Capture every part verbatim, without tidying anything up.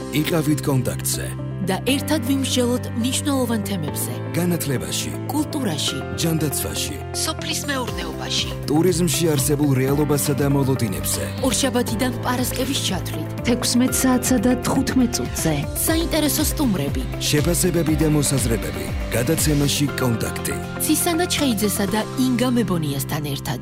იყავით კონტაქტზე და ერთად ვიმსჯელოთ მნიშვნელოვან თემებზე. განათლებაში, კულტურაში, ჯანდაცვაში, სოფლის მეურნეობაში, ტურიზმში არსებულ რეალობასა და მოლოდინებზე. ორშაბათიდან პარასკევის ჩათვლით, თექვსმეტ საათსა და თხუთმეტ წუთზე. საინტერესო სტუმრები, შეფასებები და მოსაზრებები. გადაცემაში კონტაქტი. ცისანა ჩხეიძესა და ინგა მებონიასთან ერთად.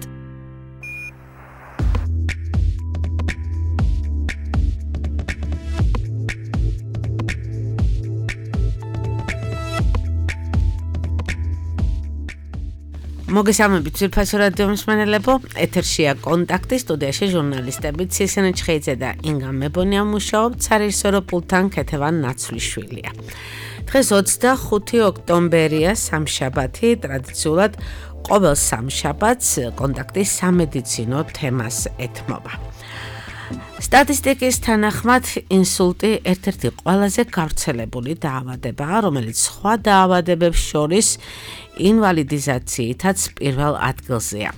მოგესალმებით ძვირფასო რადიო მსმენელებო, ეთერშია კონტაქტი, სტუდიაში ჟურნალისტები ცისანა ჩხეიძე და ინგა მებონია მუშაობთ, სარეჟისორო პულტთან ქეთევან ნაცვლიშვილია. დღეს ოცდახუთი ოქტომბერია, სამშაბათი, ტრადიციულად ყოველ სამშაბათს კონტაქტის სამედიცინო თემას ეთმობა. სტატისტიკის თანახმად ინსულტი ერთ-ერთი ყველაზე გავრცელებული დაავადებაა, რომელიც სხვა დაავადებებს შორის ინვალიდიზაციითაც პირველ ადგილზეა.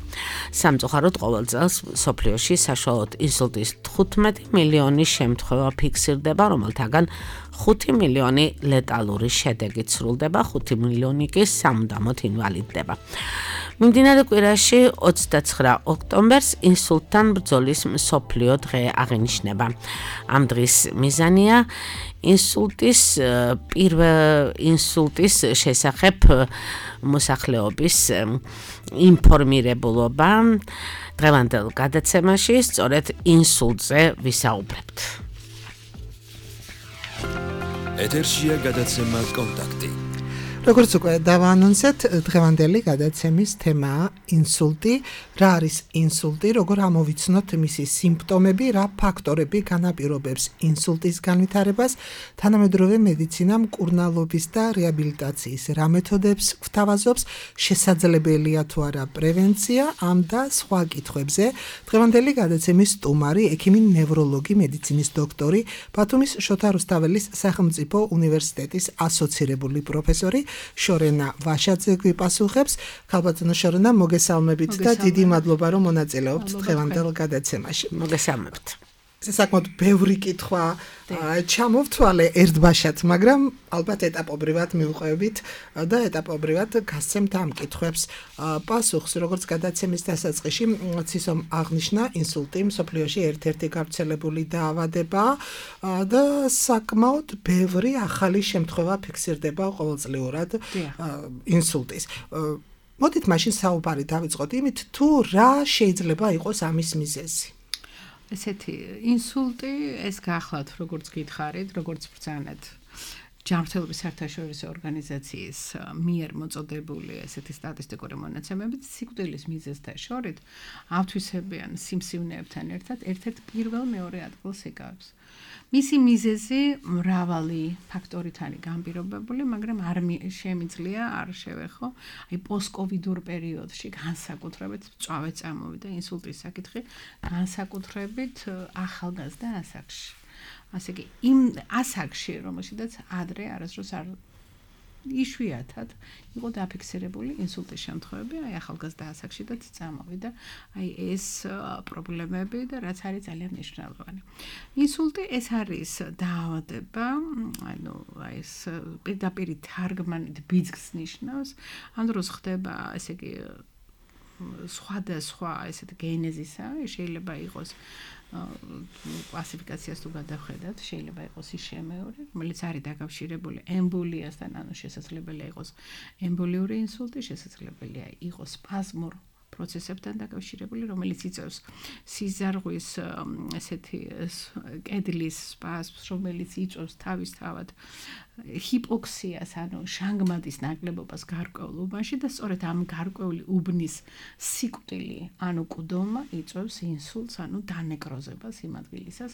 სამწუხაროდ ყოველ წელს მსოფლიოში საშუალოდ ინსულტის თხუთმეტი მილიონი შემთხვევა ფიქსირდება, რომელთაგან ხუთი მილიონი ლეტალური შედეგით სრულდება, ხუთი მილიონი კი სამუდამოდ ინვალიდდება. მიმდინარე კვირაში ოცდაცხრა ოქტომბერს ინსულტთან ბრძოლის მსოფლიო დღე აღინიშნება. ამ დღის მიზანია ინსულტის პირველ ინსულტის შესახებ მოსახლეობის ინფორმირებულობა. დღევანდელ გადაცემაში სწორედ ინსულტზე ვისაუბრებთ. ეთერშია გადაცემა კონტაქტი. როგორც უკვე დავაანონსეთ, დღევანდელი გადაცემის თემაა ინსულტი. რა არის ინსულტი, როგორ ამოვიცნოთ მისი სიმპტომები, რა ფაქტორები განაპირობებს ინსულტის განვითარებას, თანამედროვე მედიცინა მკურნალობის და რეაბილიტაციის რა მეთოდებს გვთავაზობს, შესაძლებელია თუ არა პრევენცია, ამ და სხვა კითხვებზე. დღევანდელი გადაცემის სტუმარი, ექიმი ნევროლოგი, მედიცინის დოქტორი, ბათუმის შოთა რუსთაველის სახელმწიფო უნივერსიტეტის ასოცირებული პროფესორი შორენა ვაშაძე გვიპასუხებს. ქალბატონო შორენა, მოგესალმებით და დიდი მადლობა რომ მონაწილეობთ დღევანდელ გადაცემაში. მოგესალმებით. საკმაოდ ბევრი კითხვა ჩამოვთვალე ერთბაშად, მაგრამ ალბათ ეტაპობრივად მივყვებით და ეტაპობრივად გასცემთ ამ კითხვებს პასუხს. როგორც გადაცემის დასაწყისში ცისომ აღნიშნა, ინსულტი მსოფლიოში ერთ-ერთი გავრცელებული დაავადებაა და საკმაოდ ბევრი ახალი შემთხვევა ფიქსირდება ყოველწლიურად ინსულტის. მოდით მაშინ საუბარი დავიწყოთ იმით, თუ რა შეიძლება იყოს ამის მიზეზი. ესეთი ინსულტი, ეს გახლავთ, როგორც გითხარით, როგორც ბრძანეთ ჯანმრთელობის საერთაშორისო ორგანიზაციის მიერ მოწოდებული ესეთი სტატისტიკური მონაცემებით, სიკვდილის მიზეზთა შორის ავთვისებიან სიმსივნეებთან ერთად ერთ-ერთ პირველ მეორე ადგილს იკავებს. მისი მიზეზი მრავალი ფაქტორით არის განპირობებული, მაგრამ არ შემიძლია არ შევეხო, აი პოსტკოვიდურ პერიოდში განსაკუთრებით მწვავე წამოვიდა ინსულტის საკითხი, განსაკუთრებით ახალგაზრდა ასაკში. ასე კი იმ ასაკში, რომელშიც ადრე არასდროს არ იშვიათად იყო დაფიქსირებული ინსულტის შემთხვევები, აი ახალგაზრდა ასაკში და წამოვიდა აი ეს პრობლემები და რაც არის ძალიან მნიშვნელოვანი. ინსულტი ეს არის დაავადება, ანუ აი ეს პირდაპირ თარგმანით ბიძგს ნიშნავს, ამ დროს ხდება ესე იგი სხვადასხვა ესეთ გენეზისა, შეიძლება იყოს კლასიფიკაციას თუ გადავხედათ, შეიძლება იყოს ის შემეული, რომელიც არის დაკავშირებული ემბოლიასთან, ანუ შესაძლებელია იყოს ემბოლიური ინსულტი, შესაძლებელია იყოს სპაზმურ პროცესებთან დაკავშირებული, რომელიც იწვევს სიზარღვის ესეთი კედლის სპაზმს, რომელიც იწვევს თავისთავად ჰიპოქსიას, ანუ შანგმადის ნაკლებობას გარკვეულ უბანში და სწორედ ამ გარკვეული უბნის სიკვდილი, ანუ კუდომა იწვევს ინსულტს, ანუ დანეკროზებას იმ ადგილისას,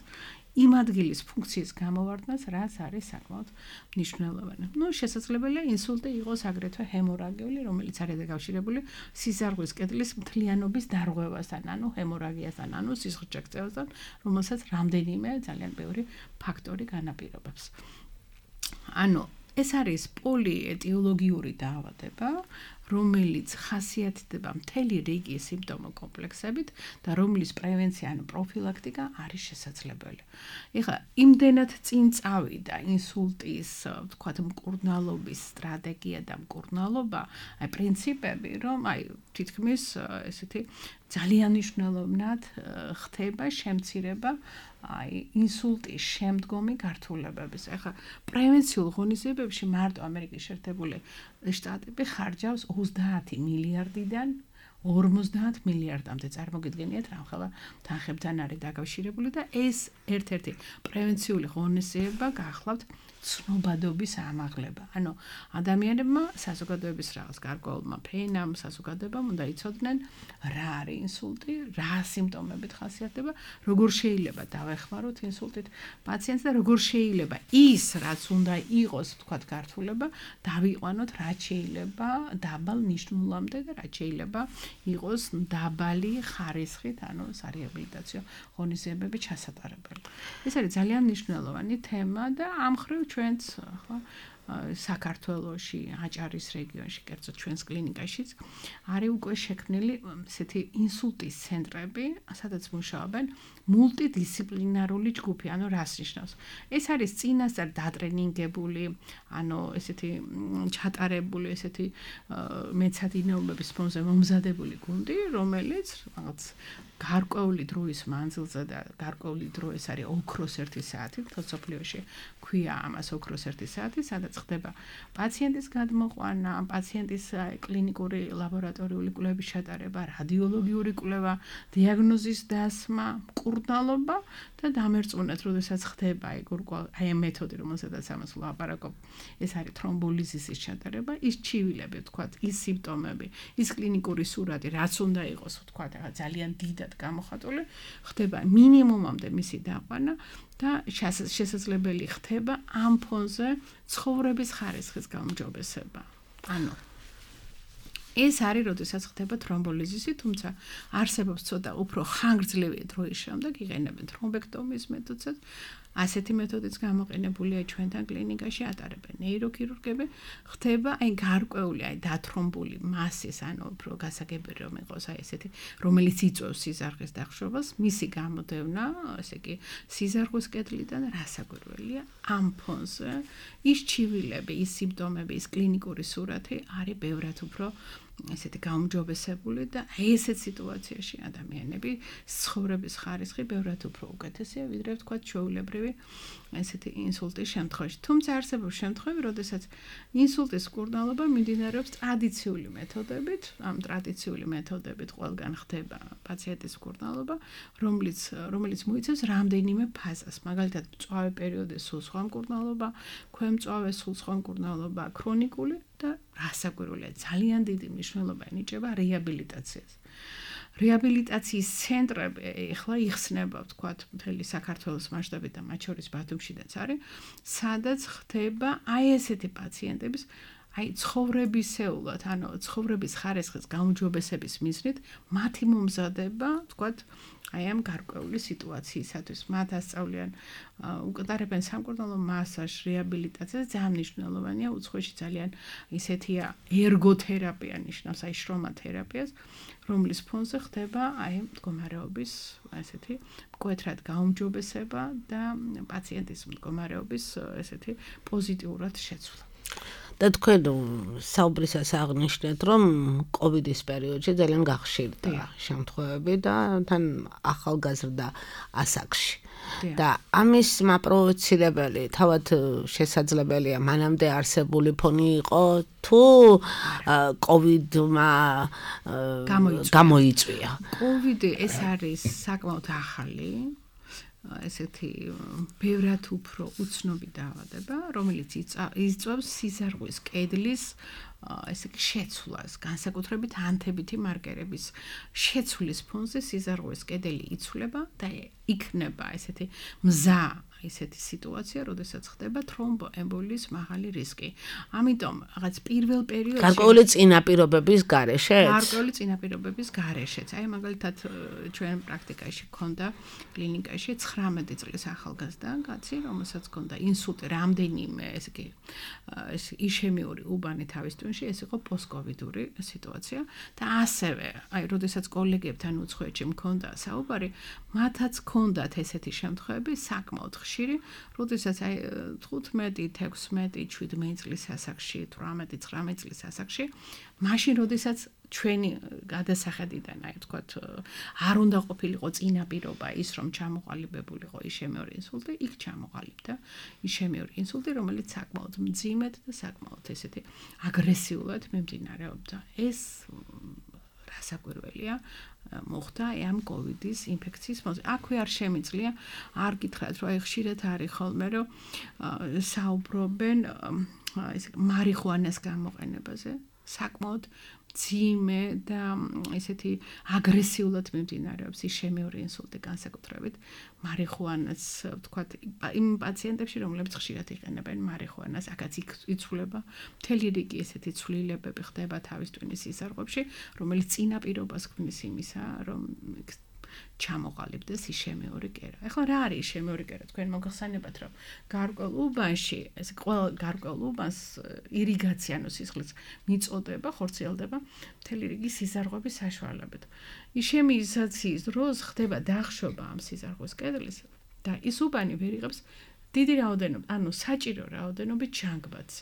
იმ ადგილის ფუნქციის გამოვარდნას, რაც არის საკმაოდ მნიშვნელოვანი. ნუ შესაძლებელია ინსულტი იყოს აგრეთვე ჰემორაგიული, რომელიც არის დაკავშირებული სიზარღვის კედლის მთლიანობის დარღვევასთან, ანუ ჰემორაგიასთან, ანუ სისხლჭექცევასთან, რომელსაც რამდენიმე ძალიან ბევრი ფაქტორი განაპირობებს. ანუ ეს არის პოლიეტიოლოგიური დაავადება, რომელიც ხასიათდება მთელი რიგი სიმპტომო კომპლექსებით და რომლის პრევენცია ან პროფილაქტიკა არის შესაძლებელი. ეხლა იმდენად წინ წავიდა ინსულტის, ვთქვათ, მკურნალობის სტრატეგია და მკურნალობა, აი პრინციპები, რომ აი თითქმის ესეთი ძალიან მნიშვნელოვნად ხდება შემცირება აი ინსულტის შემდგომი გართულებების. ეხლა პრევენციულ ღონისძიებებში მარტო ამერიკის შეერთებული შტატები ხარჯავს ოცდაათი მილიარდიდან ორმოცდაათ მილიარდამდე. წარმოგიდგენიათ რა ხელა თანხებთან არის დაკავშირებული და ეს ერთ-ერთი პრევენციული ღონისძიება გახლავთ ცნობადობის ამაღლება. ანუ ადამიანებმა საზოგადოების რაღაც გარკვეულმა ფენამ საზოგადოებამ უნდა იცოდნენ რა არის ინსულტი, რა სიმპტომებით ხასიათდება, როგორ შეიძლება დავეხმაროთ ინსულტით პაციენტს და როგორ შეიძლება ის რაც უნდა იყოს, ვთქვათ, გართულება, დავიყვანოთ, რაც შეიძლება დაბალ ნიშნულამდე და რაც შეიძლება იყოს დაბალი ხარისხით, ანუ სარეაბილიტაციო ღონისძიებები ჩასატარებელი. ეს არის ძალიან მნიშვნელოვანი თემა და ამ ხრივ ჩვენც ხო საქართველოში, აჭარის რეგიონში, კერძოდ ჩვენს კლინიკაშიც არის უკვე შექმნილი ესეთი ინსულტის ცენტრები, სადაც მუშაობენ მულტიდისციპლინარული ჯგუფი, ანუ რას ნიშნავს? ეს არის წინასწარ დატრენინგებული, ანუ ესეთი ჩატარებული, ესეთი მეცადინეობების ფონზე მომზადებული გუნდი, რომელიც რაღაც გარკვეული დროის მანძილზე და გარკვეული დრო ეს არის ოქროს ერთი საათი, თორსოფლიოში ქვია ამას ოქროს ერთი საათი, სადაც ხდება პაციენტის გადმოყვანა, პაციენტის კლინიკური ლაბორატორიული კვლევების ჩატარება, რადიოლოგიური კვლევა, დიაგნოზის დასმა, მკურნალობა და დამერწმუნეთ, როდესაც ხდება აი აი მეთოდი, რომელსაც ამას ვლაპარაკობ, ეს არის თრომბოლიზისის ჩატარება, ის ჩივილები, ვთქვათ, ის სიმპტომები, ის კლინიკური სურათი, რაც უნდა იყოს, ვთქვათ, ძალიან დიდად გამოხატული, ხდება მინიმუმამდე მისი დაყვანა და შესაძლებელი ხდება ამ ფონზე ცხოვრების ხარისხის გაუმჯობესება. ანუ ეს არის, როდესაც ხდება თრომბოლიზისი, თუმცა არსებობს ცოტა უფრო ხანგრძლივი დროის შემდეგ იყენებენ თრომბექტომიის მეთოდსაც. ასეთი მეთოდიც გამოყენებულია ჩვენთან კლინიკაში, ატარებენ ნეიროქირურგები, ხდება აი გარკვეული აი დათრომბული მასის, ანუ უფრო გასაგები რომ იყოს აი ესეთი, რომელიც იწვევს სიზარღის დახშობას, მისი გამოდევნა, ესე იგი, სიზარღვის კედლიდან რასაკვირველია, ამ ფონზე ის ჩივილები, ის სიმპტომები, ის კლინიკური სურათი არის ბევრად უფრო ესეთი გაუმჯობესებული და ესეთ სიტუაციაში ადამიანები ცხოვრების ხარისხი ბევრად უფრო უკეთესია, ვიდრე ვთქვათ ჩვეულებრივი ესეთი ინსულტის შემთხვევაში. თუმცა არსებობს შემთხვევები, როდესაც ინსულტის მკურნალობა მიმდინარეობს ტრადიციული მეთოდებით, ამ ტრადიციული მეთოდებით ყველგან ხდება პაციენტის მკურნალობა, რომელიც რომელიც მოიცავს რამდენიმე ფაზას, მაგალითად, მწვავე პერიოდის სულ სხვა მკურნალობა, ქვემწვავე სულ სხვა მკურნალობა, ქრონიკული და რასაკვირველია, ძალიან დიდი მნიშვნელობა ენიჭება რეაბილიტაციას. რეაბილიტაციის ცენტრები ახლა იხსნება, ვთქვათ, მთელი საქართველოს მასშტაბით და მათ შორის ბათუმშიც არის, სადაც ხდება აი ესეთი პაციენტების აი ცხოვრებისეულად, ანუ ცხოვრების ხარისხის გაუმჯობესების მიზნით მათი მომზადება, ვთქვათ, აი ამ გარკვეული სიტუაციისათვის. მათ ასწავლიან, უკეთარებენ სამკურნალო მასაჟს, რეაბილიტაციას, ძალიან მნიშვნელოვანია, უცხოეთში ძალიან ისეთია ერგოთერაპია ნიშნავს, აი შრომათერაპიას, რომლის ფონზე ხდება აი მდგომარეობის ესეთი მკვეთრად გაუმჯობესება და პაციენტის მდგომარეობის ესეთი პოზიტიურად შეცვლა. და თქვენ საუბრისას აღნიშნეთ, რომ კოვიდის პერიოდში ძალიან გახშირდა შემთხვევები და თან ახალგაზრდა ასაკში. და ამის მაპროვოცირებელი თავად შესაძლებელია მანამდე არსებული ფონი იყო თუ კოვიდმა გამოიწვია. კოვიდი ეს არის საკმაოდ ახალი ესეთი ბევრად უფრო უცნობი დაავადება, რომელიც იწვევს სიზარღვის კედლის ესე იგი შეცვლას, განსაკუთრებით ანთებითი მარკერების შეცვლის ფონზე სიზარღვის კედელი იცვლება და იქნება ესეთი მზა ისეთი სიტუაცია, როდესაც ხდება თრომბოემბოლიის მაღალი რისკი. ამიტომ რაღაც პირველ პერიოდში გარკვეული წინაპირობების გარეშეც? გარკვეული წინაპირობების გარეშეც. აი მაგალითად ჩვენ პრაქტიკაში ქონდა კლინიკაში ცხრამეტი წლის ახალგაზრდა კაცი, რომელსაც ქონდა ინსულტი, რამდენიმე ესე იგი ეს იშემიური უბანი თავის ტვინში, ეს იყო პოსტკოვიდური სიტუაცია და ასევე აი როდესაც კოლეგებთან უცხოეთში მქონდა საუბარი, მათაც ქონდათ ესეთი შემთხვევები საკმაოდ ხშირი, როდესაც აი თხუთმეტი, თექვსმეტი, შვიდმეტი წლის ასაკში, თვრამეტი, ცხრამეტი წლის ასაკში, მაშინ როდესაც ჩვენი გადასახედიდან, აი ვთქვათ, არ უნდა ყოფილიყო წინაპირობა ის, რომ ჩამოყალიბებულიყო იშემიური ინსულტი, იქ ჩამოყალიბდა იშემიური ინსულტი, რომელიც საკმაოდ მძიმედ და საკმაოდ ესეთი აგრესიულად მიმდინარეობდა. ეს რასაკვირველია მოხდა ამ კოვიდის ინფექციის მოწ. აქვე არ შემიძლია არ გითხრათ, რომ აი ხშირად არის ხოლმე, რომ საუბრობენ ესე მარიხუანას გამოყენებაზე, საკმაოდ ძიმე და ესეთი აგრესიულად მიმდინარეობს იშემიური ინსულტი განსაკუთრებით მარიხუანას ვთქვათ იმ პაციენტებში რომლებიც ხშირად იყენებენ მარიხუანას აქაც იცვლება მთელი რიგი ესეთი ცვლილებები ხდება თავის ტვინის სისარღვებში რომელიც წინაპირობას ქმნის იმისა რომ ჩამოყალიბდეს იშემიური კერა. ეხლა რა არის იშემიური კერა? თქვენ მოგახსენებათ რომ გარკვეულ უბანში ეს ყველა გარკვეულ უბანს ირიგაცია ანუ სისხლის მიწოდება, ხორციელდება მთელი რიგი სისარღვების საშუალებით. იშემიზაციის დროს ხდება დახშობა ამ სისარღვის კედლის და ის უბანი ვერ იღებს დიდი რაოდენობით, ანუ საჭირო რაოდენობით ჟანგბადს.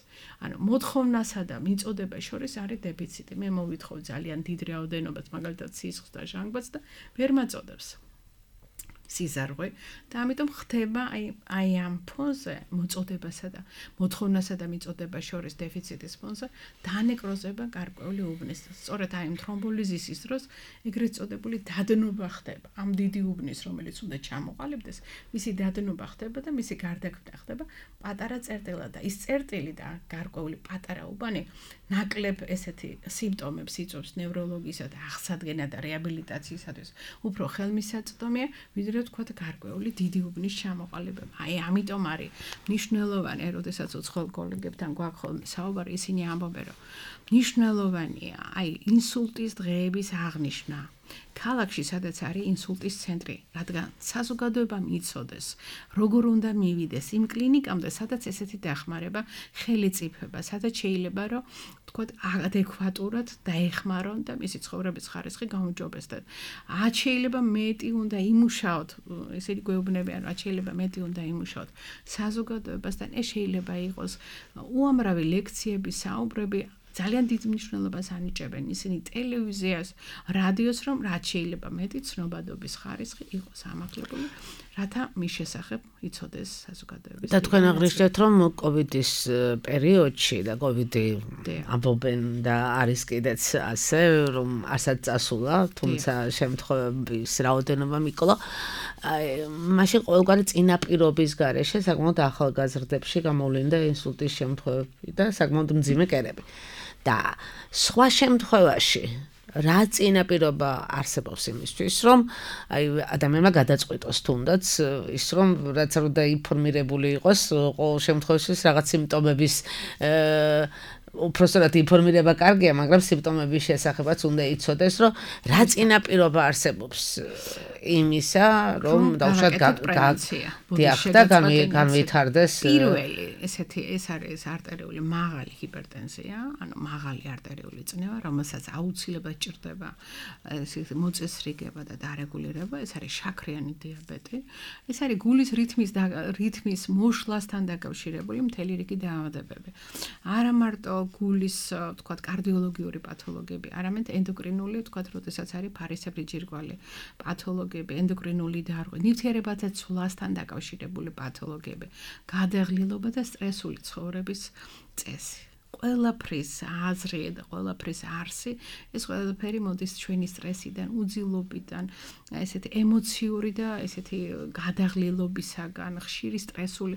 ანუ მოთხოვნასა და მიწოდებას შორის არის დეფიციტი. მე მოვითხოვ ძალიან დიდ რაოდენობას, მაგალითად სისხლს და ჟანგბადს და ვერ მაწოდებს. სიზარღვე და ამიტომ ხდება აი აი ამ ფონზე მოწოდებასა და მოთხოვნასა და მიწოდებას შორის დეფიციტის ფონზე დანეკროზება გარკვეული უბნის. სწორედ აი ამ თრომბოლიზისის დროს ეგრეთ წოდებული დადნობა ხდება. ამ დიდი უბნის, რომელიც უნდა ჩამოყალიბდეს, მისი დადნობა ხდება და მისი გარდაქმნა ხდება პატარა წერტილად და ის წერტილი და გარკვეული პატარა უბანი ნაკლებ ესეთი სიმპტომებს იწვევს ნევროლოგისა და აღსადგენა და რეაბილიტაციისათვის უფრო ხელმისაწვდომია, ვიდრე თქვათ გარკვეული დიდი უბნის ჩამოყალიბება. აი ამიტომ არის მნიშვნელოვანი, როდესაც უცხოელ კოლეგებთან გვაქვს ხოლმე საუბარი, ისინი ამბობენ, რომ მნიშვნელოვანია აი ინსულტის დღეების აღნიშვნა. ქალაქში სადაც არის ინსულტის ცენტრი, რადგან საზოგადოებამ იცოდეს, როგორ უნდა მივიდეს იმ კლინიკამდე, სადაც ესეთი დახმარება ხელიწიფება, სადაც შეიძლება რომ თქვათ ადეკვატურად დაეხმარონ და მისი ცხოვრების ხარისხი გაუმჯობესდეს. რაც შეიძლება მეტი უნდა იმუშაოთ, ესეთი გვეუბნებიან, რაც შეიძლება მეტი უნდა იმუშაოთ საზოგადოებასთან, ეს შეიძლება იყოს უამრავი ლექციები, საუბრები ძალიან დიდ მნიშვნელობას ანიჭებენ ისინი ტელევიზიას, რადიოს, რომ რაც შეიძლება მეტი ცნობადობის ხარისხი იყოს ამაღლებული, რათა მის შესახებ იცოდეს საზოგადოების. და თქვენ აღნიშნეთ, რომ კოვიდის პერიოდში და კოვიდი ამბობენ და არის კიდეც ასე, რომ არცად წასულა, თუმცა შემთხვევების რაოდენობა მიკლა. მაშინ ყოველგვარი წინაპირობის გარეშე საკმაოდ ახალგაზრდებში გამოვლინდა ინსულტის შემთხვევები და საკმაოდ მძიმე კერები. და სხვა შემთხვევაში რა წინაპირობა არსებობს იმისთვის, რომ აი ადამიანმა გადაწყვიტოს თუნდაც ის რომ რაც არ უნდა ინფორმირებული იყოს ყოველ შემთხვევაში რაღაც სიმპტომების უпроსტად ინფორმირება კარგია, მაგრამ სიმპტომების შესახებაც უნდა იცოდეს, რომ რა წინაპირობა არსებობს იმისა, რომ დავუშვათ დიახ და განვითარდეს პირველი ესეთი ეს არის არტერიული მაღალი ჰიპერტენზია, ანუ მაღალი არტერიული წნევა, რომელსაც აუცილებლად ჭირდება მოწესრიგება და დარეგულირება, ეს არის შაქრიანი დიაბეტი, ეს არის გულის რითმის რითმის მოშლასთან დაკავშირებული მთელი რიგი დაავადებები. არა მარტო გულის, თქვათ, კარდიოლოგიური პათოლოგიები, არამედ ენდოკრინული, თქვათ, როდესაც არის ფარისებრი ჯირკვალი პათოლოგიები, ენდოკრინული დარღვევა, ნივთიერებათა ცვლასთან დაკავშირებული პათოლოგიები, გადაღლილობა და სტრესული ცხოვრების წესი. ყველაფრის აზრი და ყველაფრის არსი ეს ყველაფერი მოდის ჩვენი სტრესიდან, უძილობიდან, ესეთი ემოციური და ესეთი გადაღლილობისაგან, ხშირი სტრესული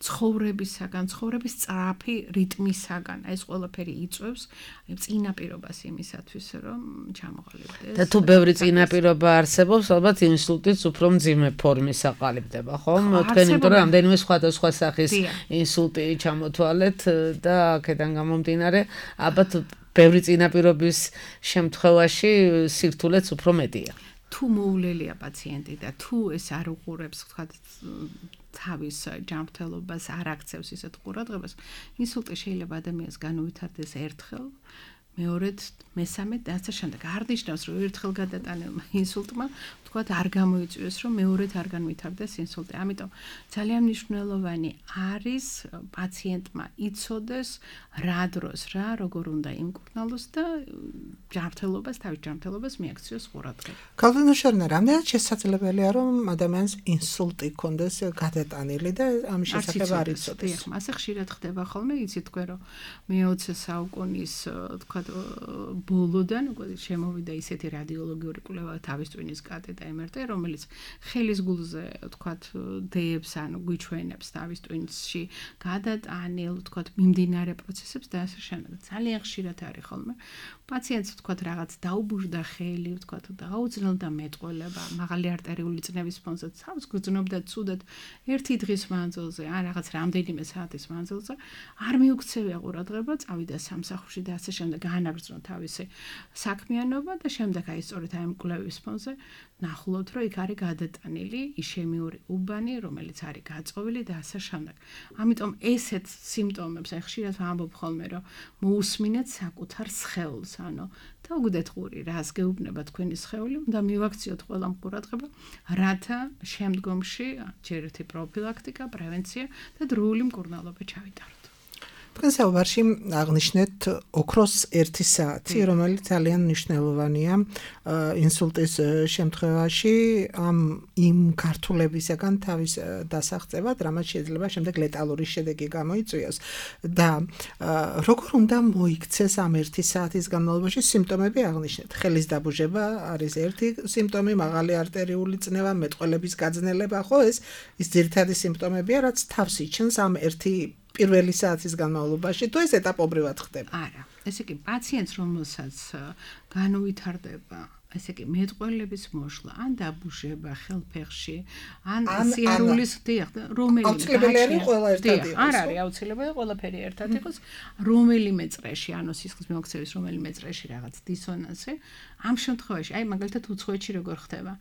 ცხოვრებისაგან, ცხოვრების სწრაფი რიტმისაგან. ეს ყველაფერი იწვევს წინაპირობას იმისათვის, რომ ჩამოყალიბდეს. და თუ ბევრი წინაპირობა არსებობს, ალბათ ინსულტიც უფრო მძიმე ფორმის აყალიბდება, ხო? თქვენ იმიტომ რომ რამდენიმე სხვადასხვა სახის ინსულტი ჩამოთვალეთ და აქედან გამომდინარე, ალბათ ბევრი წინაპირობის შემთხვევაში სირთულეც უფრო მეტია. თუ მოულელია პაციენტი და თუ ეს არ უყურებს, ვთქვათ, თავის ჯანმრთელობას არ აქცევს ისეთ ყურადღებას, ინსულტი შეიძლება ადამიანს განუვითარდეს ერთხელ, მეორედ, მესამედ და ასე შემდეგ. არ ნიშნავს, რომ ერთხელ გადატანილმა ინსულტმა, ვთქვათ, არ გამოიწვიოს, რომ მეორედ არ განვითარდეს ინსულტი. ამიტომ ძალიან მნიშვნელოვანი არის პაციენტმა იცოდეს რა დროს, რა, როგორ უნდა იმკურნალოს და ჯანმრთელობას, თავის ჯანმრთელობას მიაქციოს ყურადღება. გალვინო შერნა, რამდენად შესაძლებელია, რომ ადამიანს ინსულტი ჰქონდეს გადატანილი და ამის შესახებ არ იცოდეს? ასე ხშირად ხდება ხოლმე, იცით თქვენ, რომ მეოცე საუკუნის, ვთქვათ, ბოლოდან უკვე შემოვიდა ისეთი რადიოლოგიური კვლევა თავის ტვინის კატე და ემ ერ ტე, რომელიც ხელის გულზე, ვთქვათ, დეებს, ანუ გვიჩვენებს თავის ტვინში გადატანილ, ვთქვათ, მიმდინარე პროცესებს და ასე შემდეგ. ძალიან ხშირად არის ხოლმე. პაციენტს, ვთქვათ, რაღაც დაუბუჟდა ხელი, ვთქვათ, დაუძნელდა მეტყველება, მაღალი არტერიული წნევის ფონზე თავს გრძნობდა ცუდად ერთი დღის მანძილზე, ან რაღაც რამდენიმე საათის მანძილზე, არ მიუქცევია ყურადღება, წავიდა სამსახურში და ასე შემდეგ, განაგრძნო თავისი საქმიანობა და შემდეგ აი სწორედ აი ამ კვლევის ფონზე ნახულობთ, რომ იქ არის გადატანილი იშემიური უბანი, რომელიც არის გაწოვილი და ასე შემდეგ. ამიტომ ესეთ სიმპტომებს აი ხშირად ვამბობ ხოლმე, რომ მოусმინეთ საკუთარ სხეულს, ანუ დაუგდეთ ყური, რას გეუბნება თქვენი სხეული, უნდა მივაქციოთ ყველა ყურადღება, რათა შემდგომში ჯერ ერთი პროფილაქტიკა, პრევენცია და დროული მკურნალობა ჩავიტაროთ. თქვენ საუბარში აღნიშნეთ ოქროს ერთი საათი, რომელიც ძალიან მნიშვნელოვანია ინსულტის შემთხვევაში ამ იმ ქართულებისაგან თავის დასაღწევად, რამაც შეიძლება შემდეგ ლეტალური შედეგი გამოიწვიოს და როგორ უნდა მოიქცეს ამ ერთი საათის განმავლობაში სიმპტომები აღნიშნეთ. ხელის დაბუჟება არის ერთი სიმპტომი, მაღალი არტერიული წნევა, მეტყველების გაძნელება, ხო, ეს ის ძირითადი სიმპტომებია, რაც თავს იჩენს ამ ერთი პირველი საათის განმავლობაში, თუ ეს ეტაპობრივად ხდება? არა, ესე იგი პაციენტს, რომელსაც განუვითარდება, ესე იგი მეტყველების მოშლა, ან დაბუჟება ხელფეხში, ან სიარულის დიახ, რომელიმე აუცილებელი ყველა ერთად იყოს. არ არის აუცილებელი ყველაფერი ერთად იყოს, რომელიმე წრეში, ანუ სისხლის მიმოქცევის რომელიმე წრეში რაღაც დისონანსი, ამ შემთხვევაში, აი მაგალითად უცხოეთში როგორ ხდება.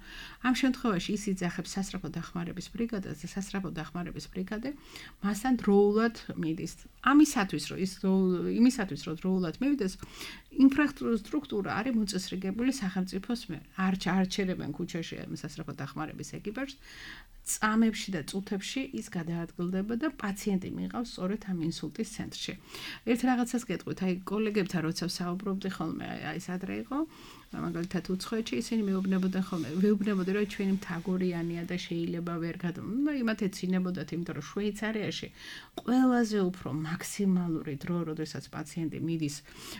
ამ შემთხვევაში ის იძახებს სასწრაფო დახმარების ბრიგადას და სასწრაფო დახმარების ბრიგადე მასთან დროულად მიდის. ამისათვის, რომ ის იმისათვის, რომ დროულად მივიდეს, ინფრასტრუქტურა არის მოწესრიგებული სახელმწიფოს მიერ. არ არჩევენ ქუჩაში სასწრაფო დახმარების ეკიპაჟს, წამებში და წუთებში ის გადაადგილდება და პაციენტი მიიღავს სწორედ ამ ინსულტის ცენტრში. ერთ რაღაცას გეტყვით, აი კოლეგებთან როცა საუბრობდი ხოლმე, აი ეს ადრე იყო, მაგალითად უცხოეთში ისინი მეუბნებოდნენ ხოლმე, ვეუბნებოდნენ, რომ ჩვენი მთაგორიანია და შეიძლება ვერ გადამ. ნუ იმათ ეცინებოდათ, იმიტომ რომ შვეიცარიაში ყველაზე უფრო მაქსიმალური დრო, როდესაც პაციენტი მიდის,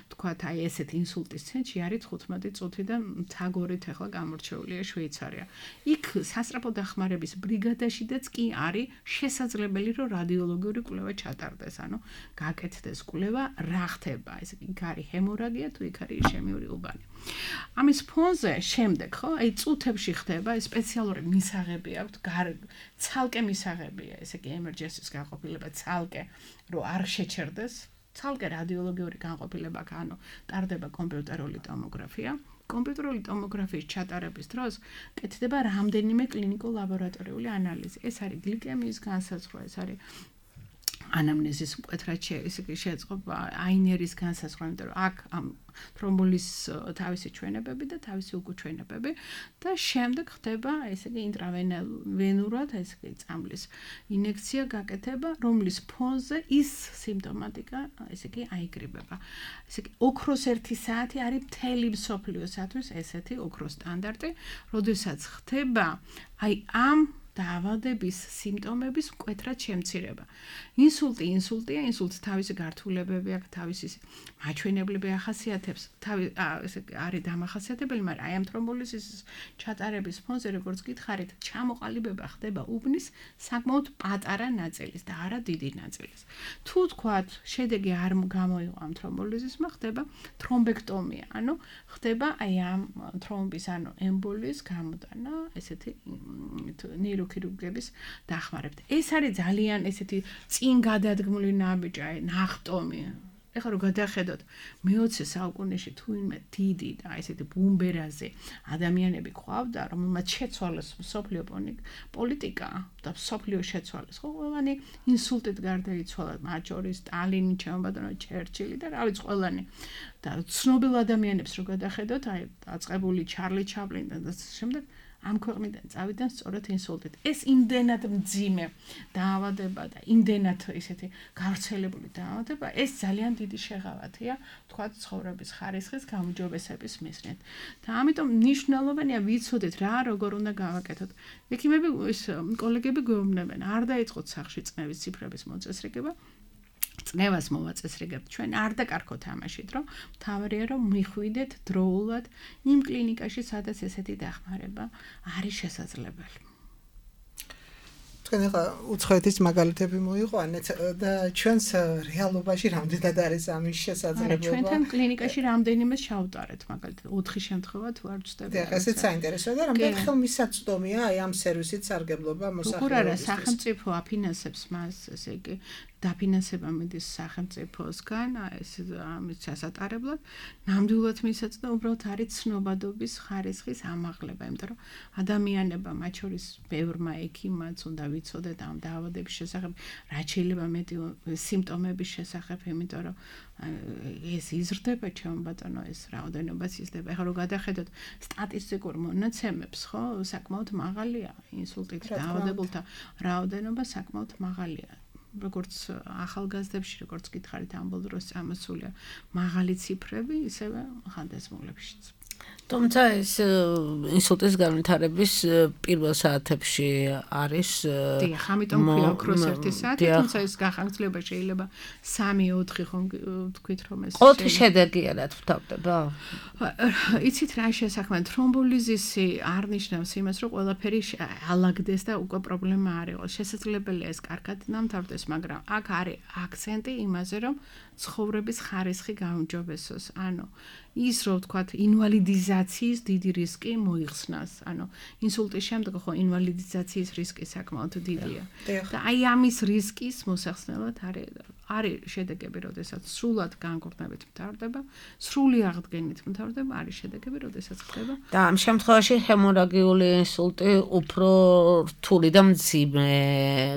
თქვათ, აი ესეთ ინსულტის ცენტრში არის თხუთმეტი წუთი და მთაგორით ახლა გამორჩეულია შვეიცარია. იქ სასწრაფო დახმარების ბრიგადაშიდაც კი არის შესაძლებელი, რომ რადიოლოგიური კვლევა ჩატარდეს, ანუ გაკეთდეს კვლევა, რა ხდება, ეს იქ არის ჰემორაგია თუ იქ არის იშემიური უბანი. ამის ფონზე შემდეგ, ხო, აი წუთებში ხდება, სპეციალური მისაღები აქვს, ცალკე მისაღებია, ესე იგი ემერჯენსის განყოფილება, ცალკე, რომ არ შეჩერდეს, ცალკე რადიოლოგიური განყოფილება, ანუ ტარდება კომპიუტერული ტომოგრაფია. კომპიუტერული ტომოგრაფიის ჩატარების დროს კეთდება რამდენიმე კლინიკურ ლაბორატორიული ანალიზი. ეს არის გლიკემიის განსაზღვრა, ეს არის ანამნეზის მკვეთრად შეეწყობა აინერის განსაზღვრა, იმიტომ რომ აქ ამ თრომბოლის თავისი ჩვენებები და თავისი უკუჩვენებები და შემდეგ ხდება, ესე იგი ინტრავენურად, ესე იგი წამლის ინექცია გაკეთება, რომლის ფონზე ის სიმპტომატიკა, ესე იგი აიკრიბება. ესე იგი ოქროს ერთი საათი არის მთელი მსოფლიოსათვის ესეთი ოქროს სტანდარტი, როდესაც ხდება აი ამ დაავადების სიმპტომების მკვეთრად შემცირება. ინსულტი ინსულტია, ინსულტს თავისი გართულებები აქვს, თავისი მაჩვენებლები ახასიათებს, თავი ესე არის დამახასიათებელი, მაგრამ აი ამ თრომბოლიზის ჩატარების ფონზე როგორც გითხარით, ჩამოყალიბება ხდება უბნის საკმაოდ პატარა ნაწილის და არა დიდი ნაწილის. თუ თქვათ, შედეგი არ გამოიღო ამ თრომბოლიზისმა, ხდება თრომბექტომია, ანუ ხდება აი ამ თრომბის, ანუ ემბოლიის გამოტანა, ესეთი ნეიროქირურგების დახმარებით. ეს არის ძალიან ესეთი წინ გადადგმული ნაბიჯი, აი ნახტომი. ეხლა რომ გადახედოთ მეოცე საუკუნეში თუ ვინმე დიდი და ესეთი ბუმბერაზე ადამიანები ყავდა, რომელმაც შეცვალეს მსოფლიო პოლიტიკა და მსოფლიო შეცვალეს, ხო, ყველანი ინსულტით გარდაიცვალა, მათ შორის სტალინი, ჩემბატონო ჩერჩილი და რა ვიცი ყველანი. და ცნობილ ადამიანებს რო გადახედოთ, აი დაწყებული ჩარლი ჩაპლინი და შემდეგ ამ ქვეყნიდან წავიდნენ სწორედ ინსულტით. ეს იმდენად მძიმე დაავადება და იმდენად ესეთი გავრცელებული დაავადება, ეს ძალიან დიდი შეღავათია, თქვათ, ცხოვრების ხარისხის გაუმჯობესების მიზნით. და ამიტომ მნიშვნელოვანია ვიცოდეთ რა, როგორ უნდა გავაკეთოთ. ექიმები, ეს კოლეგები გვეუბნებენ, არ დაიწყოთ სახში წნევის ციფრების მოწესრიგება. წნევას მოვაწესრიგებთ ჩვენ, არ დაკარგოთ ამაშით, რომ მთავარია რომ მიხვიდეთ დროულად იმ კლინიკაში, სადაც ესეთი დახმარება არის შესაძლებელი. თქვენ ახლა უცხოეთის მაგალითები მოიყვანეთ და ჩვენს რეალობაში რამდენად არის ამის შესაძლებლობა? ჩვენთან კლინიკაში რამდენიმე შევტარეთ, მაგალითად ოთხი შემთხვევა თუ არ ვწდები. და ესეც საინტერესოა და რამდენ ხელმისაწვდომია აი ამ სერვისით სარგებლობა მოსახლეობისთვის. როგორ არა, სახელმწიფო აფინანსებს მას, ესე იგი დაფინანსება მიდის სახელმწიფოსგან, ეს ამის ჩასატარებლად, ნამდვილად მისაწვდო უბრალოდ არის ცნობადობის ხარისხის ამაღლება, იმიტომ რომ ადამიანებმა, მათ შორის ბევრმა ექიმაც უნდა ვიცოდეთ ამ დაავადების შესახებ, რაც შეიძლება მეტი სიმპტომების შესახებ, იმიტომ რომ ეს იზრდება, ჩემო ბატონო, ეს რაოდენობას იზრდება. ეხლა რომ გადახედოთ სტატისტიკურ მონაცემებს, ხო, საკმაოდ მაღალია ინსულტით დაავადებულთა რაოდენობა საკმაოდ მაღალია. როგორც ახალგაზრდებში, როგორც გითხარით, ამ ბოლო დროს წამოსულია მაღალი ციფრები, ისევე ხანდაზმულებშიც. თუმცა ეს ინსულტის განვითარების პირველ საათებში არის დიახ, ამიტომ ქვია ოქროს ერთი საათი, თუმცა ეს გახანგრძლივება შეიძლება სამი ოთხი ხომ თქვით რომ ეს ყოველთვის შედეგია რა თვთავდება? იცით რა შესაქმე თრომბოლიზისი არ ნიშნავს იმას, რომ ყველაფერი ალაგდეს და უკვე პრობლემა არ იყოს. შესაძლებელია ეს კარგად დამთავრდეს, მაგრამ აქ არის აქცენტი იმაზე, რომ ცხოვრების ხარისხი გაუმჯობესოს. ანუ ის რო ვთქვათ ინვალიდიზაციის დიდი რისკი მოიხსნას. ანუ ინსულტის შემდეგ ხო ინვალიდიზაციის რისკი საკმაოდ დიდია. და აი ამის რისკის მოსახსნელად არის არის შედეგები, როდესაც სრულად განკურნებით მთავრდება, სრული აღდგენით მთავრდება, არის შედეგები, როდესაც ხდება. და ამ შემთხვევაში ჰემორაგიული ინსულტი უფრო რთული და მძიმე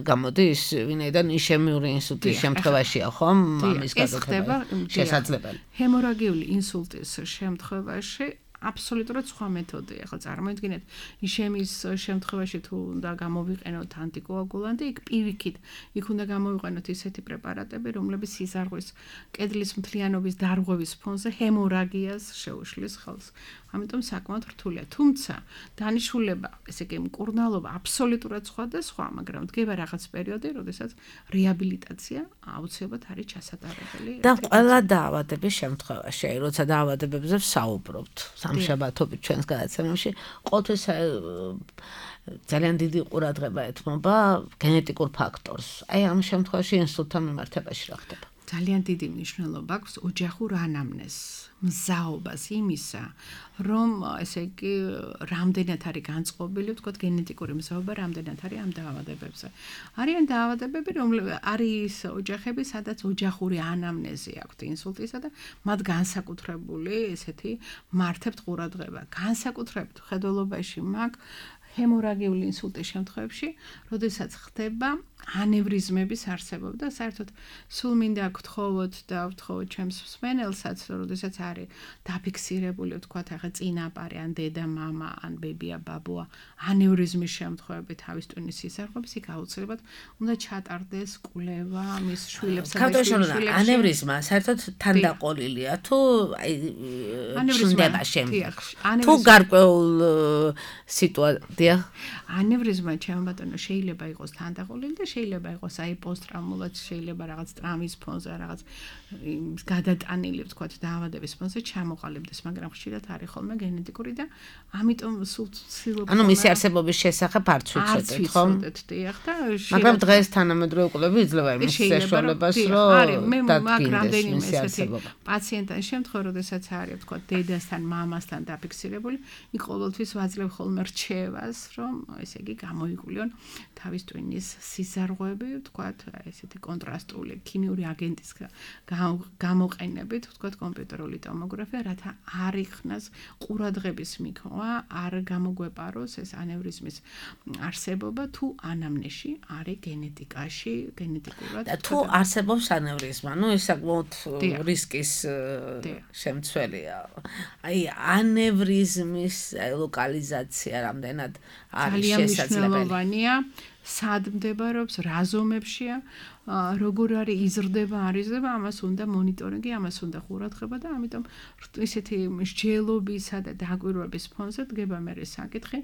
გამოდის, ვინაიდან ისემიური ინსულტის შემთხვევაშია, ხომ? ამის ხდება შესაძლებელი. ჰემორაგიული ინსულტის შემთხვევაში აბსოლუტურად სხვა მეთოდია. ახლა წარმოიდგინეთ, ისემიის შემთხვევაში თუ უნდა გამოვიყენოთ ანტიკოაგულანტი, იქ პირიქით, იქ უნდა გამოვიყენოთ ისეთი პრეპარატები, რომლებიც სიზარღვის კედლის მთლიანობის დარღვევის ფონზე ჰემორაგიას შეუშლის ხელს. ამიტომ საკმაოდ რთულია. თუმცა დანიშნულება, ესე იგი მკურნალობა აბსოლუტურად სხვა და სხვა, მაგრამ დგება რაღაც პერიოდი, როდესაც რეაბილიტაცია აუცილებლად არის ჩასატარებელი. და ყველა დაავადების შემთხვევაში, აი როცა დაავადებებზე ვსაუბრობთ, სამშაბათობით ჩვენს გადაცემებში, ყოველთვის ძალიან დიდი ყურადღება ეთმობა გენეტიკურ ფაქტორს. აი ამ შემთხვევაში ინსულტთან მიმართებაში რა ხდება? ძალიან დიდი მნიშვნელობა აქვს ოჯახურ ანამნეზს, მზაობას იმისა, რომ ესე იგი რამდენად არის განწყობილი, ვთქვათ, გენეტიკური მზაობა რამდენად არის ამ დაავადებებზე. არიან დაავადებები, რომლებიც არის ოჯახები, სადაც ოჯახური ანამნეზი აქვთ ინსულტისა და მათ განსაკუთრებული ესეთი მართებთ ყურადღება. განსაკუთრებით ხედველობაში მაქვს ჰემორაგიული ინსულტის შემთხვევებში, როდესაც ხდება ანევრიზმების არსებობა და საერთოდ სულ მინდა გთხოვოთ და ვთხოვოთ ჩემს მსმენელსაც, რომ როდესაც არის დაფიქსირებული, ვთქვათ, ახლა წინაპარი, ან დედა, მამა, ან ბებია, ბაბუა, ანევრიზმის შემთხვევები თავის ტვინის სისარღვების, იქ აუცილებლად უნდა ჩატარდეს კვლევა მის შვილებსა და შვილებში. ანევრიზმა საერთოდ თანდაყოლილია თუ აი ჩნდება შემდეგ. თუ გარკვეულ სიტუაცია. ანევრიზმა ჩემო ბატონო შეიძლება იყოს თანდაყოლილი და შეიძლება იყოს აი პოსტტრაუმულად, შეიძლება რაღაც ტრამვის ფონზე, რაღაც გადატანილი, ვთქვათ, დაავადების ფონზე ჩამოყალიბდეს, მაგრამ ხშირად არის ხოლმე გენეტიკური და ამიტომ სულ ცდილობ. ანუ მისი არსებობის შესახებ არც ვიცოდეთ, ხო? დიახ და მაგრამ დღეს თანამედროვე კვლევები იძლევა იმის საშუალებას, რომ დადგინდეს მისი არსებობა. პაციენტთან შემთხვევაში, როდესაც არის, ვთქვათ, დედასთან, მამასთან დაფიქსირებული, იქ ყოველთვის ვაძლევ ხოლმე რჩევას, რომ ესე იგი გამოიკვლიონ თავის ტვინის სიზარღვები, ვთქვათ, ესეთი კონტრასტული ქიმიური აგენტის გამოყენებით, ვთქვათ, კომპიუტერული ტომოგრაფია, რათა არ იქნას ყურადღების მიქვა, არ გამოგვეპაროს ეს ანევრიზმის არსებობა თუ ანამნეზში არის გენეტიკაში, გენეტიკურად. და თუ არსებობს ანევრიზმა, ну ეს საკმაოდ რისკის შემცველია. აი ანევრიზმის ლოკალიზაცია რამდენად არის შესაძლებელი? სად მდებარეობს, რა ზომებშია, როგორ არის იზრდება, არ იზრდება, ამას უნდა მონიტორინგი, ამას უნდა ყურადღება და ამიტომ ისეთი მსჯელობისა და დაკვირვების ფონზე დგება მე საკითხი,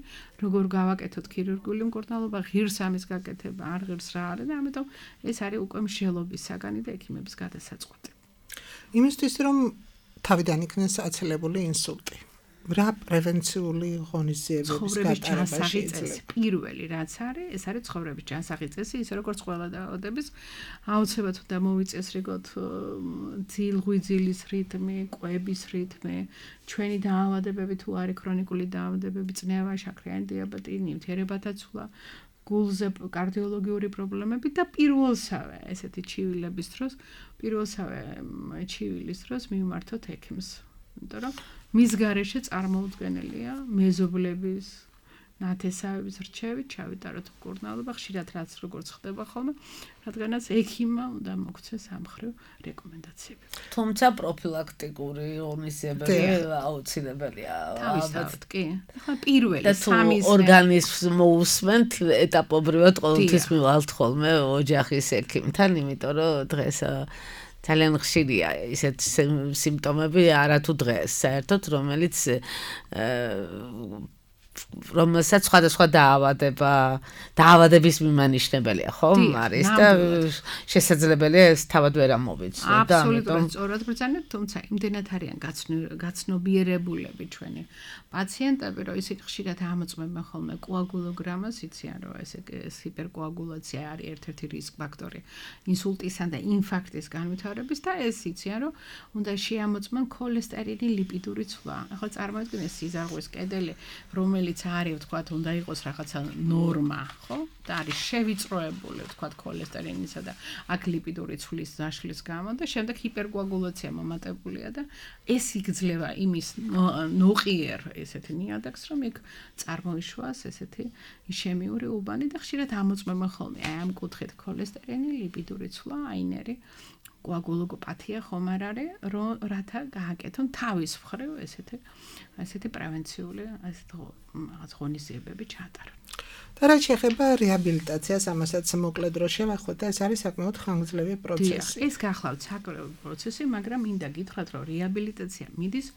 როგორ გავაკეთოთ ქირურგიული მკურნალობა, ღირს ამის გაკეთება, არ ღირს რა არის და ამიტომ ეს არის უკვე მსჯელობის საგანი და ექიმების გადასაწყვეტი. იმისთვის რომ თავიდან იქნეს აცილებული ინსულტი. რა პრევენციული ღონისძიებების გატარება შეიძლება? პირველი რაც არის, ეს არის ცხოვრების ჯანსაღი წესი, ისე როგორც ყველა დაავადების, აუცილებლად უნდა მოვიწესრიგოთ ძილღვიძილის რიტმი, კვების რიტმი, ჩვენი დაავადებები თუ არის ქრონიკული დაავადებები, წნევა, შაქრიანი დიაბეტი, ნივთიერებათა ცვლა, გულზე კარდიოლოგიური პრობლემები და პირველსავე ესეთი ჩივილების დროს, პირველსავე ჩივილის დროს მივმართოთ ექიმს. იმიტომ რომ მის გარეშე წარმოუდგენელია მეზობლების, ნათესავების რჩევით ჩავიტაროთ მკურნალობა, ხშირად რაც როგორც ხდება ხოლმე, რადგანაც ექიმმა უნდა მოგვცეს ამ მხრივ რეკომენდაციები. თუმცა პროფილაქტიკური ღონისძიებები აუცილებელია. თავისთავად კი. ახლა პირველი სამის ორგანიზმს მოусმენთ ეტაპობრივად ყოველთვის მივალთ ხოლმე ოჯახის ექიმთან, იმიტომ რომ დღეს ძალიან ხშირია ისეთ სიმპტომები არათუ დღეს საერთოდ, რომელიც რომელსაც სხვადასხვა დაავადება, დაავადების მიმანიშნებელია, ხო? არის და შესაძლებელია ეს თავად ვერ ამოვიცნოთ და ამიტომ სწორად ბრძანებთ, თუმცა იმდენად არიან გაცნობიერებულები ჩვენი პაციენტები, რომ ისე ხშირად ამოწმებენ ხოლმე კოაგულოგრამას, იციან რომ ეს ჰიპერკოაგულაცია არის ერთ-ერთი რისკ ფაქტორი ინსულტისა და ინფარქტის განვითარების და ეს იციან რომ უნდა შეამოწმონ ქოლესტერინის ლიპიდური ცვლა. ახლა წარმოიდგინეთ სიზარღვის კედელი, რომელიც არის, ვთქვათ, უნდა იყოს რაღაცა ნორმა, ხო? და არის შევიწროებული, ვთქვათ, ქოლესტერინისა და აქ ლიპიდური ცვლის ზაშლის გამო და შემდეგ ჰიპერკოაგულაცია მომატებულია და ეს იგძლევა იმის ნოყიერ ესეთი ნიადაგს, რომ იქ წარმოიშვას ესეთი ისემიური უბანი და ხშირად ამოწმებენ ხოლმე აი ამ კუთხით ქოლესტერინი, ლიპიდური ცვლა, აინერი კოაგულოპათია ხომ არ არის, რომ რათა გააკეთონ თავის მხრივ ესეთი ესეთი პრევენციული ესეთ რაღაც ღონისძიებები ჩატარონ. და რაც შეეხება რეაბილიტაციას, ამასაც მოკლედ რო შევახოთ და ეს არის საკმაოდ ხანგრძლივი პროცესი. ეს გახლავთ საკმაოდ პროცესი, მაგრამ მინდა გითხრათ, რომ რეაბილიტაცია მიდის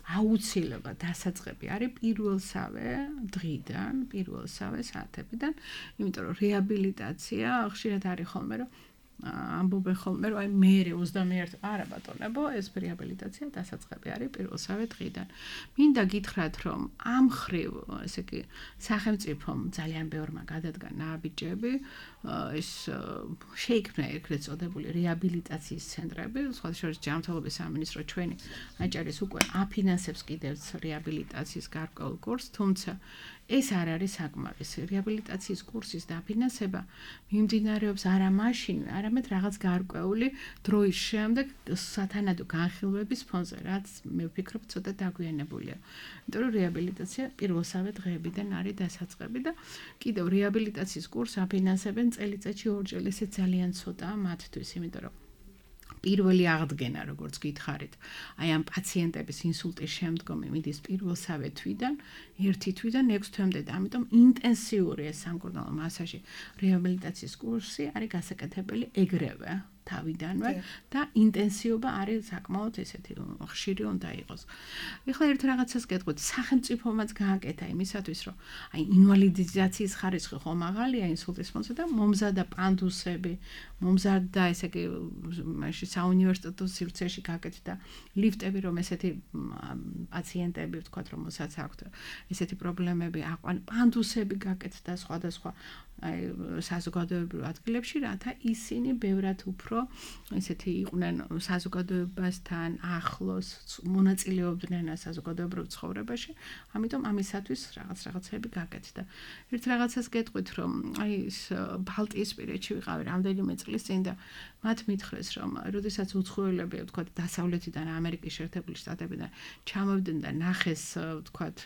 აუცილებლად დასაწყები არის პირველსავე დღიდან, პირველსავე საათებიდან, იმიტომ რომ რეაბილიტაცია ხშირად არის ხოლმე, რომ ამბობენ ხოლმე, რომ აი მერე ოცდამეერთი არა ბატონებო, ეს რეაბილიტაცია დასაწყები არის პირველსავე დღიდან. მინდა გითხრათ, რომ ამ მხრივ, ესე იგი, სახელმწიფომ ძალიან ბევრმა გადადგა ნაბიჯები, ეს შეიქმნა ეგრეთ წოდებული რეაბილიტაციის ცენტრები, სხვა შორის ჯანმრთელობის სამინისტრო ჩვენი აჭარის უკვე აფინანსებს კიდევ რეაბილიტაციის გარკვეულ კურსს, თუმცა ეს არ არის საკმარისი. რეაბილიტაციის კურსის დაფინანსება მიმდინარეობს არა მაშინ, არა არამედ რაღაც გარკვეული დროის შემდეგ სათანადო განხილვების ფონზე, რაც მე ვფიქრობ ცოტა დაგვიანებულია. იმიტომ რომ რეაბილიტაცია პირველსავე დღეებიდან არის დასაწყები და კიდევ რეაბილიტაციის კურსს აფინანსებენ წელიწადში ორჯერ, ესე ძალიან ცოტაა მათთვის, იმიტომ რომ პირველი აღდგენა, როგორც გითხარით, აი ამ პაციენტების ინსულტის შემდგომი მიდის პირველსავე თვიდან, ერთი თვიდან ექვს თვემდე და ამიტომ ინტენსიური ეს სამკურნალო მასაჟი, რეაბილიტაციის კურსი არის გასაკეთებელი ეგრევე. თავიდანვე და ინტენსივობა არის საკმაოდ ესეთი ხშირი უნდა იყოს. ეხლა ერთ რაღაცას გეტყვით, სახელმწიფომაც გააკეთა იმისათვის, რომ აი ინვალიდიზაციის ხარისხი ხო მაღალია ინსულტის ფონზე და მომზადა პანდუსები, მომზადდა ესე იგი მაშინ საუნივერსიტეტო სივრცეში გააკეთა ლიფტები, რომ ესეთი პაციენტები ვთქვათ, რომელსაც აქვთ ესეთი პრობლემები აყვან, პანდუსები გააკეთა სხვადასხვა აი საზოგადოებრივ ადგილებში, რათა ისინი ბევრად უფრო ესეთი იყვნენ საზოგადოებასთან ახლოს, მონაწილეობდნენ საზოგადოებრივ ცხოვრებაში, ამიტომ ამისათვის რაღაც რაღაცები გაკეთდა. ერთ რაღაცას გეტყვით, რომ აი ეს ბალტიისპირეთში ვიყავი რამდენიმე წლის წინ და მათ მითხრეს, რომ როდესაც უცხოელები, ვთქვათ, დასავლეთიდან ამერიკის შეერთებული შტატებიდან ჩამოვიდნენ და ნახეს, ვთქვათ,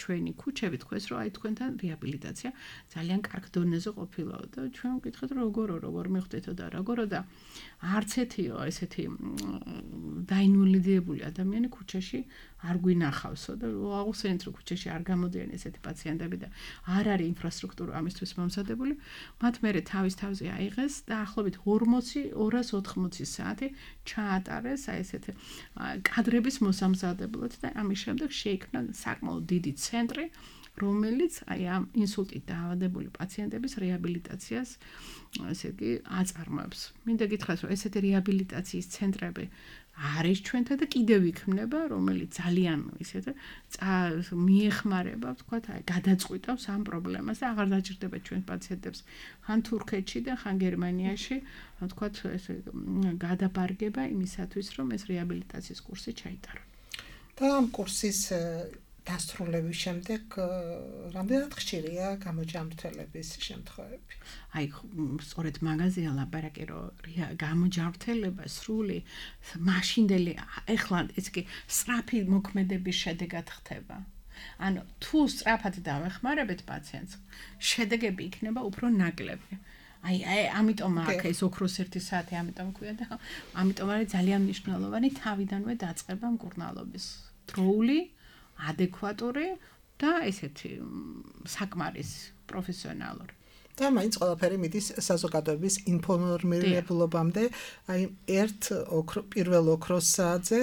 ჩვენი ქუჩები, თქვეს, რომ აი თქვენთან რეაბილიტაცია ძალიან კარგ დონეზე ყოფილა და ჩვენ ვკითხეთ, როგორო, როგორ მიხვდეთო და როგორო და არც ეთიო ესეთი დაინვალიდებული ადამიანი ქუჩაში არ გვინახავსო და აუხსენეთ, რომ ქუჩაში არ გამოდიან ესეთი პაციენტები და არ არის ინფრასტრუქტურა ამისთვის მომზადებული, მათ მერე თავის თავზე აიღეს და ახლობით ორმოცი ორას ოთხმოცი საათი ჩაატარეს აი ესეთი კადრების მოსამზადებლად და ამის შემდეგ შეიქმნა საკმაოდ დიდი ცენტრი, რომელიც აი ამ ინსულტით დაავადებული პაციენტების რეაბილიტაციას ესე იგი აწარმოებს. მინდა გითხრათ, რომ ესეთი რეაბილიტაციის ცენტრები არის ჩვენთან და კიდევ იქმნება, რომელიც ძალიან ისეთ მიეხმარება, ვთქვათ, აი გადაწყვიტავს ამ პრობლემას და აღარ დაჭირდება ჩვენ პაციენტებს ხან თურქეთში და ხან გერმანიაში, ვთქვათ, ესე გადაბარგება იმისათვის, რომ ეს რეაბილიტაციის კურსი ჩაიტარონ. და ამ კურსის დასრულების შემდეგ რამდენად ხშირია გამოჯანმრთელების შემთხვევები? აი, სწორედ მაგაზია ლაპარაკი, რომ გამოჯანმრთელება სრული მაშინდელი ეხლა ეს კი სწრაფი მოქმედების შედეგად ხდება. ანუ თუ სწრაფად დავეხმარებთ პაციენტს, შედეგები იქნება უფრო ნაკლები. აი, აი, ამიტომ აქ ეს ოქროს ერთი საათი ამიტომ ქვია და ამიტომ არის ძალიან მნიშვნელოვანი თავიდანვე დაწყება მკურნალობის. დროული ადეკვატური და ესეთი საკმარისი პროფესიონალური. და მაინც ყველაფერი მიდის საზოგადოების ინფორმირებულობამდე, აი ერთ პირველ ოქროს საათზე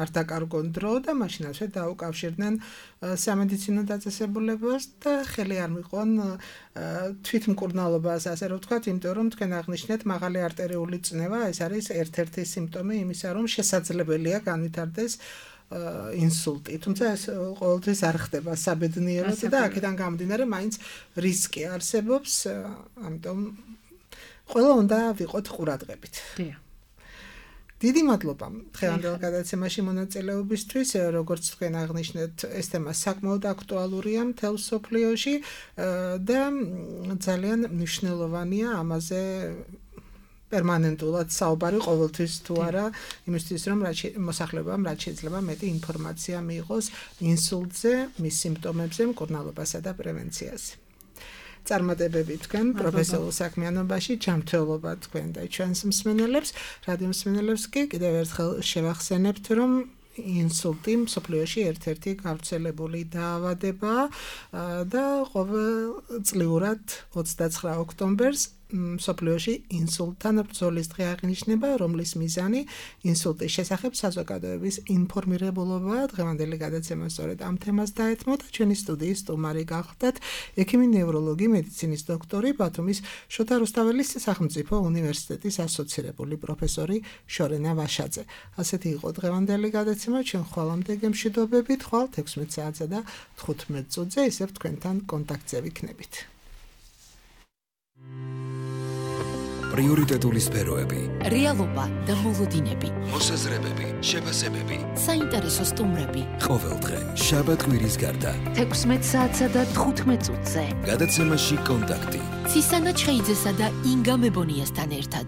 არ დაკარგონ დრო და მაშინაცვე დაუკავშირდნენ სამედიცინო დაწესებულებას და ხელი არ მიყვან თვითმკურნალობას, ასე რომ ვთქვათ, იმიტომ რომ თქვენ აღნიშნეთ მაღალი არტერიული წნევა, ეს არის ერთ-ერთი სიმპტომი იმისა, რომ შესაძლებელია განვითარდეს ინსულტი, თუმცა ეს ყოველთვის არ ხდება საბედნიეროდ და აქედან გამომდინარე მაინც რისკი არსებობს, ამიტომ ყველა უნდა ვიყოთ ყურადღებით. დიახ. დიდი მადლობა დღევანდელ გადაცემაში მონაწილეობისთვის, როგორც თქვენ აღნიშნეთ, ეს თემა საკმაოდ აქტუალურია მთელ მსოფლიოში და ძალიან მნიშვნელოვანია ამაზე პერმანენტულად საუბარი ყოველთვის თუ არა, იმისთვის რომ მოსახლეობამ რაც შეიძლება მეტი ინფორმაცია მიიღოს ინსულტზე, მის სიმპტომებზე, მკურნალობასა და პრევენციაზე. წარმატებები თქვენ პროფესიულ საქმიანობაში, ჯანმრთელობა თქვენ და ჩვენს მსმენელებს, რადიო მსმენელებს კი კიდევ ერთხელ შევახსენებთ, რომ ინსულტი მსოფლიოში ერთ-ერთი გავრცელებული დაავადებაა და ყოველწლიურად ოცდაცხრა ოქტომბერს მსოფლიოში ინსულტთან ბრძოლის დღე აღინიშნება, რომლის მიზანი ინსულტის შესახებ საზოგადოების ინფორმირებულობაა. დღევანდელი გადაცემა სწორედ ამ თემას დაეთმო და ჩვენი სტუდიის სტუმარი გახლდათ ექიმი ნევროლოგი, მედიცინის დოქტორი, ბათუმის შოთა რუსთაველის სახელმწიფო უნივერსიტეტის ასოცირებული პროფესორი შორენა ვაშაძე. ასეთი იყო დღევანდელი გადაცემა, ჩვენ ხვალამდე გემშვიდობებით, ხვალ ექვსმეტ საათსა და თხუთმეტ წუთზე ისევ თქვენთან კონტაქტზე ვიქნებით. პრიორიტეტული სფეროები, რეალობა და მოლოდინები, მოსაზრებები, შეფასებები, საინტერესო სტუმრები. ყოველდღე შაბათ-კვირის გარდა ექვსმეტ საათსა და თხუთმეტ წუთზე. გადაცემაში კონტაქტი. ცისანა ჩხეიძესა და ინგა მებონიასთან ერთად.